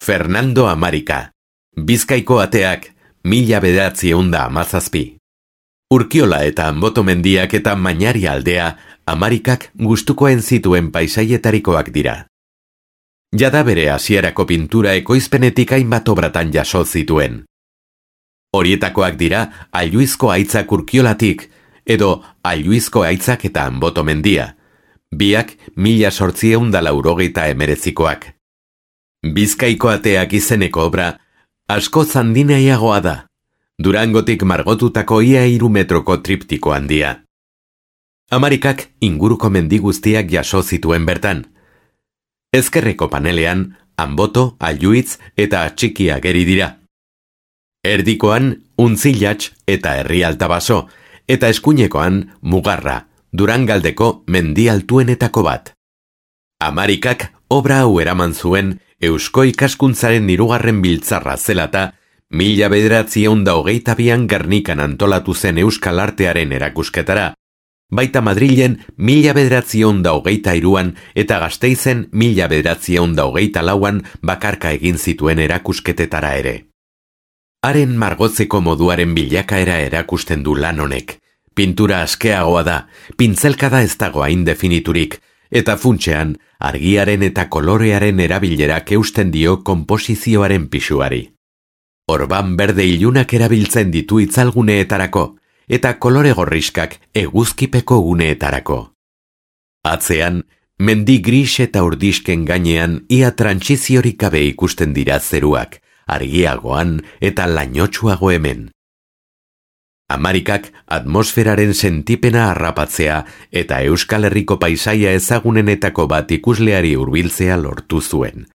Fernando Amarika. Bizkaiko ateak, 1917. Urkiola eta Anboto mendiak eta Mañari aldea, Amarikak gustukoen zituen paisailetarikoak dira. Jada bere hasierako pintura ekoizpenetik hainbat obratan jaso zituen. Horietakoak dira Alluizko aitzak Urkiolatik, edo Alluizko aitzak eta Anboto mendia, biak 1889koak. Bizkaiko ateak izeneko obra asko zandinaiagoa da, Durangotik margotutako ia 3 metroko triptiko handia. Amarikak inguruko mendi guztiak jaso zituen bertan. Ezkerreko panelean, Anboto, Alluitz eta Txiki ageri dira. Erdikoan, Untzilatx eta Herri Altabaso, eta eskuinekoan, Mugarra, Durangaldeko mendi altuenetako bat. Amarikak obra hau eraman zuen Eusko Ikaskuntzaren 3. biltzarra zelata, 1922an Gernikan antolatu zen euskal artearen erakusketara, baita Madrilen 1923an eta Gasteizen 1924an bakarka egin zituen erakusketetara ere. Haren margotzeko moduaren bilakaera erakusten du lan honek. Pintura askeagoa da, pintzelkada ez dago hain definiturik, eta funtsean argiaren eta kolorearen erabilerak eusten dio konposizioaren pisuari. Orban berde ilunak erabiltzen ditu itzalguneetarako, eta kolore gorriskak eguzkipeko guneetarako. Atzean, mendi gris eta urdisken gainean ia trantsiziorik gabe ikusten dira zeruak, argiagoan eta lainotsuago hemen. Amarikak atmosferaren sentipena harrapatzea eta Euskal Herriko paisaia ezagunenetako bat ikusleari hurbiltzea lortu zuen.